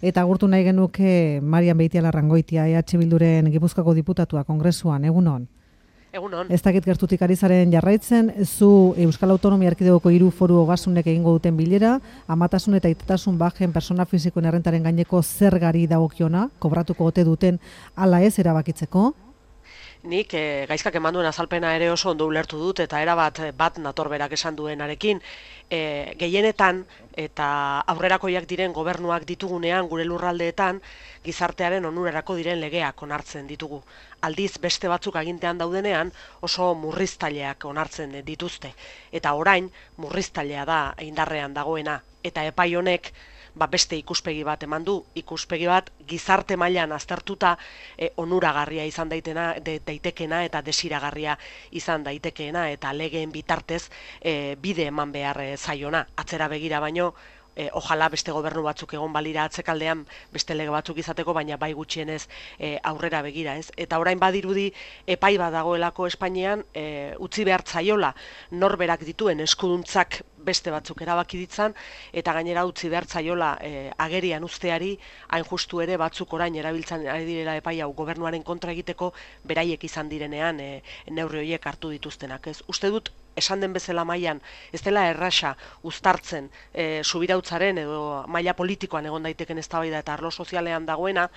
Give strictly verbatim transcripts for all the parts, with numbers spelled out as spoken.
Eta agurtu nahi genuke Marian Beitialarrangoitia, E H Bilduren Gipuzkoako diputatua kongresuan, egunon. Egunon. Ez dakit gertutik ari zaren jarraitzen, zu Euskal Autonomia Erkidegoko hiru foru ogasunek egingo duten bilera, amatasun eta aitatasun bajen persona fisikoen errentaren gaineko zergari dagokiona, kobratuko ote duten ala ez erabakitzeko? Nik e, gaizkak eman duen azalpena ere oso ondo ulertu dut eta erabat bat natorberak esan duenarekin. E, gehienetan eta aurrerakoiak diren gobernuak ditugunean gure lurraldeetan gizartearen onurarako diren legeak onartzen ditugu. Aldiz beste batzuk agintean daudenean oso murriztaileak onartzen dituzte. Eta orain murriztailea da indarrean dagoena eta epai honek ba beste ikuspegi bat eman du, ikuspegi bat gizarte mailan aztertuta e, onuragarria izan daitena, de, daitekena eta desiragarria izan daitekeena eta legeen bitartez e, bide eman behar e, zaiona. Atzera begira baino, e, ojala beste gobernu batzuk egon balira atzekaldean beste lege batzuk izateko, baina bai gutxienez e, aurrera begira, ez? Eta orain badirudi epai bat dagoelako Espainian e, utzi behar zaiola norberak dituen eskuduntzak beste batzuk erabaki ditzan, eta gainera utzi behar zaiola e, agerian usteari, hain justu ere batzuk orain erabiltzen ari direla epai hau gobernuaren kontra egiteko, beraiek izan direnean e, neurri horiek hartu dituztenak. Ez? Uste dut, esan den bezala mailan, ez dela errasa uztartzen e, subirautzaren edo maila politikoan egon daiteken eztabaida eta arlo sozialean dagoena,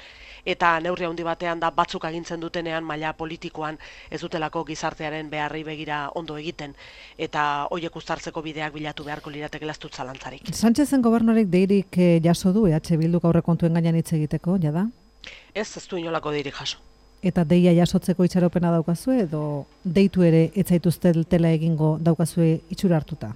eta neurri handi batean da batzuk agintzen dutenean maila politikoan ez dutelako gizartearen beharrei begira ondo egiten, eta horiek uztartzeko bideak bilatu beharko lirateke lastut zalantzarik. Sánchezen gobernuarik deirik eh, jaso du E H Bilduk aurrekontuen gainean hitz egiteko, jada? Ez, ez du inolako deirik jaso. Eta deia jasotzeko itxaropena daukazue edo deitu ere ez zaituztetela egingo daukazue itxura hartuta?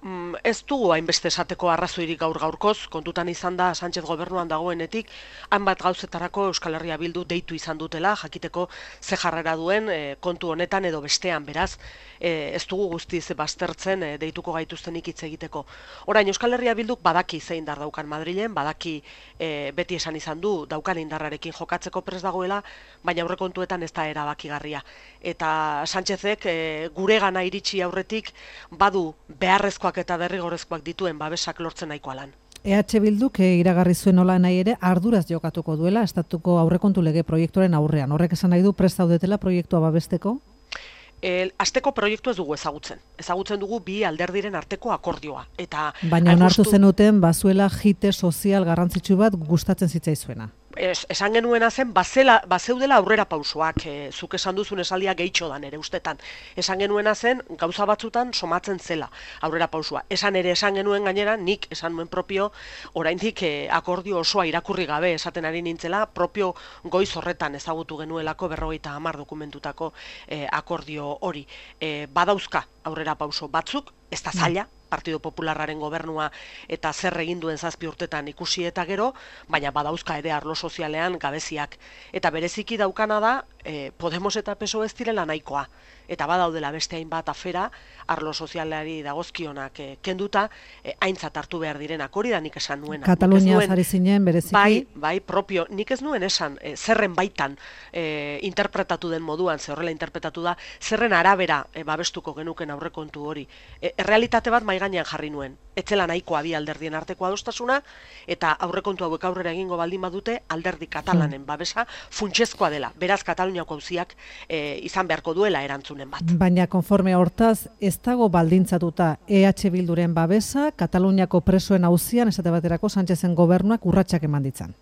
Mm, ez dugu hainbeste esateko arrazoirik gaur gaurkoz, kontutan izan da Sánchez gobernuan dagoenetik, hainbat gauzetarako Euskal Herria Bildu deitu izan dutela, jakiteko ze jarrera duen e, kontu honetan edo bestean, beraz, e, ez dugu guztiz baztertzen e, deituko gaituztenik hitz egiteko. Orain, Euskal Herria Bilduk badaki zein indar daukan Madrilen, badaki e, beti esan izan du daukan indarrarekin jokatzeko prest dagoela, baina aurrekontuetan ez da erabakigarria. Eta Sánchezek e, gure gana iritsi aurretik badu beharrezkoak eta derrigorrezkoak dituen babesak lortzen nahikoa lan. E H Bilduk e, iragarri zuen nola nahi ere arduraz jokatuko duela estatuko aurrekontu lege proiektuaren aurrean. Horrek esan nahi du prest zaudetela proiektua babesteko? El, asteko proiektu ez dugu ezagutzen. Ezagutzen dugu bi alderdiren arteko akordioa. Eta baina onartu zenuten bazuela jite sozial garrantzitsu bat gustatzen zitzaizuena. Es, esan genuena zen, bazela, bazeudela aurrera pausoak, e, zuk esan duzun esaldia gehitxo dan ere ustetan. Esan genuena zen, gauza batzutan somatzen zela aurrera pausua. Esan ere esan genuen gainera, nik esan nuen propio, oraindik e, akordio osoa irakurri gabe esaten ari nintzela, propio goiz horretan ezagutu genuelako berrogeita hamar dokumentutako e, akordio hori. E, badauzka aurrera pauso batzuk, ez da zaila, Partido Popularraren gobernua eta zer egin duen zazpi urtetan ikusi eta gero, baina badauzka ere arlo sozialean gabeziak. Eta bereziki daukana da, e, Podemos eta P S O E ez direla nahikoa. Eta badaudela beste hainbat afera, arlo sozialari dagozkionak e, kenduta, e, aintzat hartu behar direnak, hori da nik esan nuena. Katalunia zari zinen bereziki? Bai, bai, propio, nik ez nuen esan, e, zerren baitan e, interpretatu den moduan, ze horrela interpretatu da, zerren arabera e, babestuko genuken aurrekontu hori. E, errealitate bat mai gainean jarri nuen. Etzela nahikoa bi alderdien arteko adostasuna, eta aurrekontu hauek aurrera egingo baldin badute, alderdi katalanen babesa funtsezkoa dela. Beraz, Kataluniako auziak e, izan beharko duela erantzunen bat. Baina konforme hortaz, ez dago baldintzatuta E H Bilduren babesa, Kataluniako presoen auzian, esate baterako Sánchezen gobernuak urratsak eman ditzan.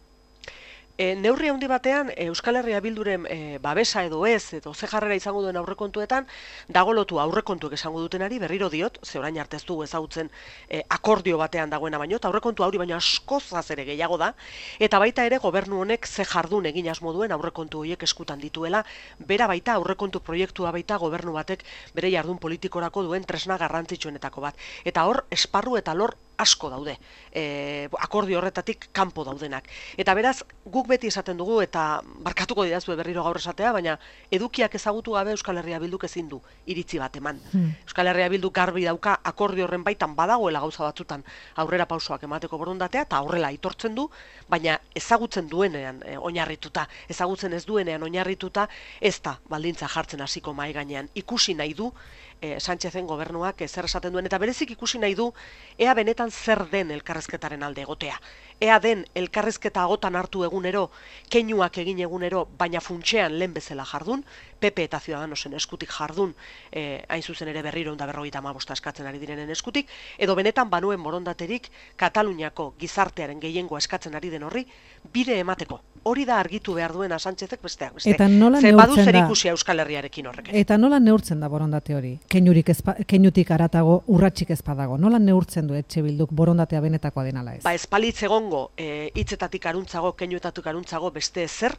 E, neurri handi batean Euskal Herria Bilduren e, babesa edo ez, edo ze jarrera izango duen aurrekontuetan, dago lotu aurrekontuek esango dutenari, berriro diot, ze orain arte ez dugu ezagutzen e, akordio batean dagoena baino, eta aurrekontu hori baino askozaz ere gehiago da, eta baita ere gobernu honek ze jardun egin asmo duen aurrekontu horiek eskutan dituela, bera baita aurrekontu proiektua baita gobernu batek bere jardun politikorako duen tresna garrantzitsuenetako bat. Eta hor, esparru eta lor asko daude, e, akordio horretatik kanpo daudenak. Eta beraz, guk beti esaten dugu, eta barkatuko didazue berriro gaur esatea, baina edukiak ezagutu gabe Euskal Herria Bilduk ezin du iritzi bat eman. Hmm. Euskal Herria Bilduk garbi dauka akordio horren baitan badagoela gauza batzutan aurrera pausoak emateko borondatea, eta horrela aitortzen du, baina ezagutzen duenean e, oinarrituta, ezagutzen ez duenean oinarrituta, ez da baldintza jartzen hasiko mahai gainean. Ikusi nahi du, e, Sánchezen gobernuak e, zer esaten duen, eta berezik ikusi nahi du ea benetan zer den elkarrezketaren alde egotea. Ea den elkarrezketa agotan hartu egunero, keinuak egin egunero, baina funtsean lehen bezala jardun, P P eta Ciudadanosen eskutik jardun, e, hain zuzen ere berriro eta berrogeita hamabosta eskatzen ari direnen eskutik, edo benetan banuen borondaterik Kataluniako gizartearen gehiengoa eskatzen ari den horri, bide emateko. Hori da argitu behar duena Sánchezek besteak beste. Eta nola Ze badu neurtzen zer da? ikusia Euskal Herriarekin horrek. Eta nola neurtzen da borondate hori? Keinurik ezpa, keinutik aratago, urratsik ez badago. Nola neurtzen du Etxe Bilduk borondatea benetakoa den ala ez? Ba, espalitz egongo e, hitzetatik aruntzago, keinuetatik aruntzago beste ezer,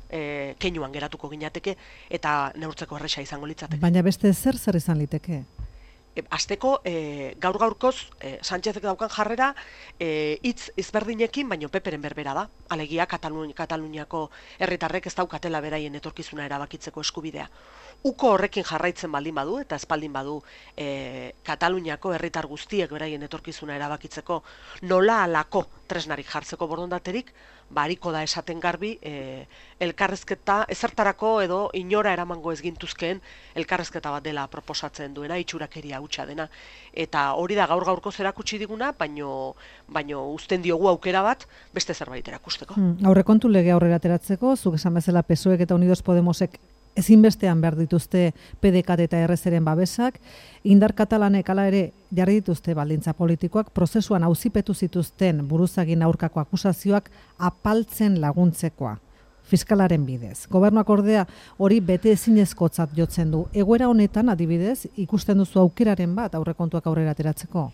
e, keinuan geratuko ginateke eta neurtzeko erresa izango litzateke. Baina beste zer zer izan liteke? E, Azteko, e, gaur gaurkoz, e, Sánchezek daukan jarrera e, hitz ezberdinekin, baino Peperen berbera da. Alegia Katalun, Kataluniako herritarrek ez daukatela beraien etorkizuna erabakitzeko eskubidea. Uko horrekin jarraitzen baldin badu, eta espaldin badu e, Kataluniako herritar guztiek beraien etorkizuna erabakitzeko nola alako tresnarik jartzeko borondaterik, bariko da esaten garbi e, elkarrezketa ezertarako edo inora eramango ez gintuzkeen elkarrezketa bat dela proposatzen duena, itxurakeria hutsa dena. Eta hori da gaur gaurko erakutsi diguna, baino, baino uzten diogu aukera bat beste zerbait erakusteko. Hmm, aurrekontu lege aurrera ateratzeko, zuk esan bezala P S O Ek eta Unidos Podemosek ezinbestean behar dituzte P D K eta R Zeren babesak, indar katalanek hala ere jarri dituzte baldintza politikoak, prozesuan auzipetu zituzten buruzagin aurkako akusazioak apaltzen laguntzekoa, fiskalaren bidez. Gobernuak ordea hori bete ezinezkotzat jotzen du. Egoera honetan adibidez ikusten duzu aukeraren bat aurrekontuak aurrera ateratzeko?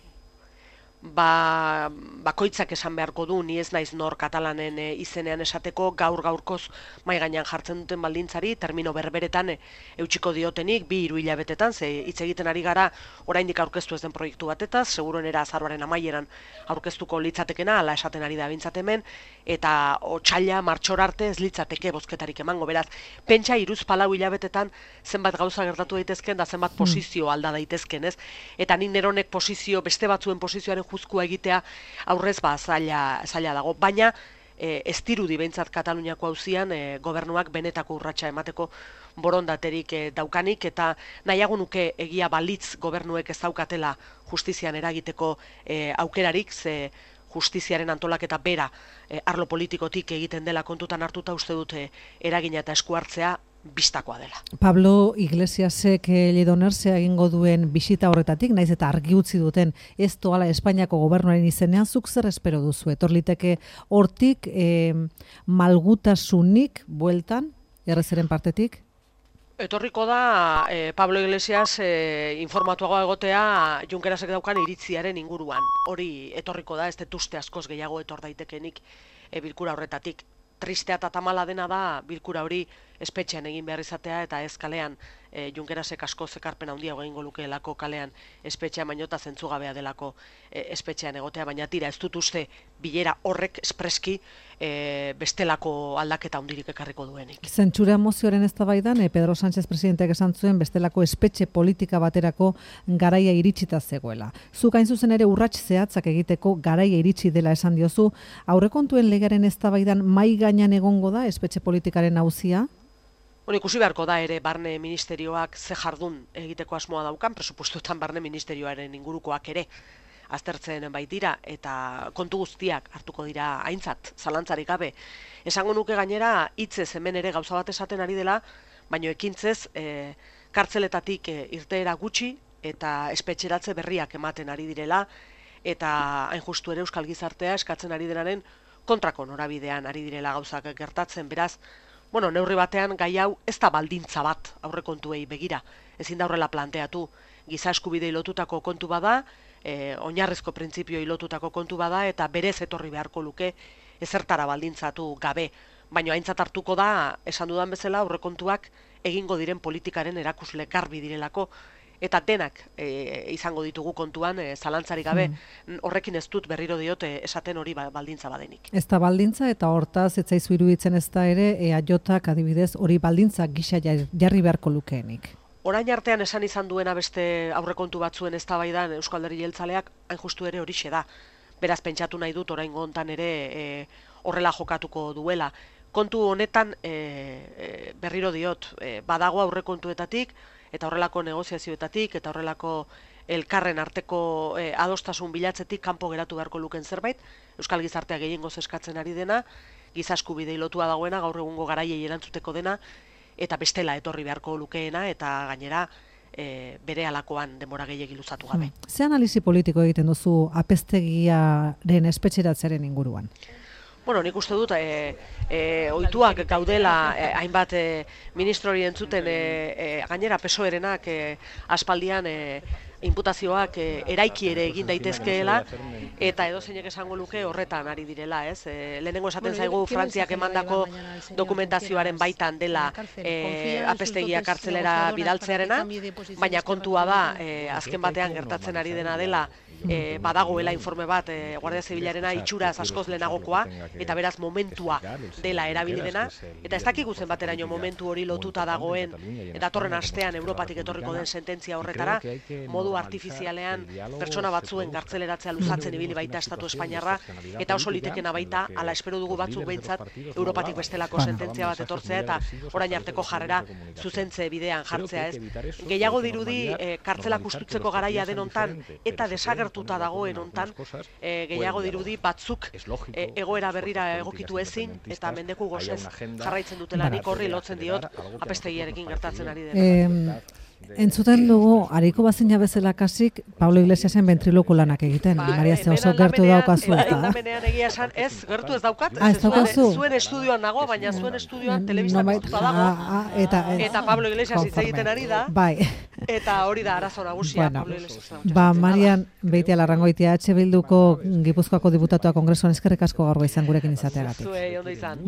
Ba, bakoitzak esan beharko du, ni ez naiz nor katalanen e, izenean esateko gaur gaurkoz mai gainean jartzen duten baldintzari, termino berberetan e, eutxiko diotenik, bi hiru hilabetetan, ze hitz egiten ari gara oraindik aurkeztu ez den proiektu batetaz, seguruenera azaroaren amaieran aurkeztuko litzatekena, ala esaten ari da bintzat hemen, eta otsaila martxor arte ez litzateke bozketarik emango, beraz, pentsa hiruz palau hilabetetan zenbat gauza gertatu daitezken da zenbat posizio alda daitezken, ez? Eta nik neronek posizio, beste batzuen posizioaren juzkua egitea aurrez ba zaila, zaila dago, baina e, ez dirudi behintzat Kataluniako auzian e, gobernuak benetako urratsa emateko borondaterik e, daukanik, eta nahiago nuke egia balitz gobernuek ez daukatela justizian eragiteko e, aukerarik, ze justiziaren antolaketa bera e, arlo politikotik egiten dela kontutan hartuta uste dute eragina eta esku hartzea bistakoa dela. Pablo Iglesiasek Lledonerse egingo duen bisita horretatik, naiz eta argi utzi duten ez doala Espainiako gobernuaren izenean, zuk zer espero duzu? Etorliteke hortik eh, malgutasunik bueltan, errezeren partetik? Etorriko da eh, Pablo Iglesias eh, informatuagoa egotea Junkerasek daukan iritziaren inguruan. Hori etorriko da, ez dut uste askoz gehiago etor daitekenik e, bilkura horretatik. Tristea eta tamala dena da bilkura hori espetxean egin behar izatea eta ez kalean e, Junkerasek asko zekarpen handiago egingo lukeelako kalean espetxean, baino eta zentzugabea delako e, espetxean egotea, baina tira ez dut uste bilera horrek espreski e, bestelako aldaketa handirik ekarriko duenik. Zentsura mozioaren eztabaidan e, Pedro Sánchez presidenteak esan zuen bestelako espetxe politika baterako garaia iritsita zegoela. Zuk hain zuzen ere urrats zehatzak egiteko garaia iritsi dela esan diozu, aurrekontuen legearen eztabaidan mai gainean egongo da espetxe politikaren auzia? Bueno, ikusi beharko da ere barne ministerioak ze jardun egiteko asmoa daukan, presupuestoetan barne ministerioaren ingurukoak ere aztertzen baitira, eta kontu guztiak hartuko dira aintzat, zalantzarik gabe. Esango nuke gainera hitzez hemen ere gauza bat esaten ari dela, baino ekintzez e, kartzeletatik e, irteera gutxi eta espetxeratze berriak ematen ari direla, eta hain justu ere euskal gizartea eskatzen ari denaren kontrako norabidean ari direla gauzak gertatzen, beraz, bueno, neurri batean gai hau ez da baldintza bat aurrekontuei begira. Ezin da horrela planteatu. Giza eskubidei lotutako kontu bada, e, oinarrizko printzipioei lotutako kontu bada, eta berez etorri beharko luke ezertara baldintzatu gabe. Baina aintzat hartuko da, esan dudan bezala, aurrekontuak egingo diren politikaren erakusle garbi direlako, eta denak e, izango ditugu kontuan, e, zalantzarik gabe, mm. horrekin ez dut berriro diote esaten hori baldintza badenik. Ez da baldintza, eta hortaz, ez zaizu iruditzen ez da ere, E A Jk adibidez hori baldintza gisa jarri beharko lukeenik. Orain artean esan izan duena beste aurrekontu batzuen eztabaidan Eusko Alderdi Jeltzaleak hain justu ere horixe da. Beraz, pentsatu nahi dut oraingo hontan ere e, horrela jokatuko duela. kontu honetan e, e, berriro diot, e, badago aurrekontuetatik eta horrelako negoziazioetatik eta horrelako elkarren arteko e, adostasun bilatzetik kanpo geratu beharko luken zerbait, Euskal Gizartea gehiengoz eskatzen ari dena, giza eskubidei lotua dagoena, gaur egungo garaiei erantzuteko dena, eta bestela etorri beharko lukeena, eta gainera e, bere alakoan denbora gehiegi luzatu gabe. Ze analizi politiko egiten duzu apeztegiaren espetxeratzearen inguruan? Bueno, nik uste dut, e, e, ohituak gaudela e, hainbat e, ministrori entzuten e, e, gainera P S O E-renak e, aspaldian e, inputazioak e, eraiki ere egin daitezkeela, eta edozeinek esango luke horretan ari direla, ez? E, lehenengo esaten zaigu Frantziak emandako dokumentazioaren baitan dela e, apeztegia kartzelera bidaltzearena, baina kontua da, e, azken batean gertatzen ari dena dela, E, badagoela informe bat e, Guardia Zibilarena itxuraz askoz lehenagokoa eta beraz momentua dela erabili dena, eta ez dakigu zenbateraino momentu hori lotuta dagoen datorren astean Europatik etorriko den sententzia horretara, modu artifizialean pertsona batzuen gartzeleratzea luzatzen ibili baita Estatu Espainiarra, eta oso litekena baita, ala espero dugu batzuk behintzat, Europatik bestelako sententzia bat etortzea eta orain arteko jarrera zuzentze bidean jartzea, ez? Gehiago dirudi e, kartzelak ustutzeko garaia den hontan eta desagertu dagoen hontan, e, gehiago dirudi batzuk e, egoera berrira egokitu ezin eta mendeku gozez jarraitzen dutela, nik horri lotzen diot apeztegiarekin gertatzen ari dena. Entzuten dugu, hariko bazina bezala kasik, Pablo Iglesiasen ventriloku lanak egiten. Ba, Maria, ze oso gertu daukazu eta. Hemen egia esan, ez, gertu ez daukat, ah, ez daukazu? Zuen estudioan nago, baina zuen estudioan telebistan ikututa dago, eta, eta Pablo Iglesias hitz egiten ari da, bai. Eta hori da arazo nagusia, bueno, Pablo Iglesias. Ba, Marian, Beitia Larrangoitia, H Bilduko Gipuzkoako diputatua Kongresuan eskerrik asko gaur izan gurekin izateagatik. Zuei, ondo izan.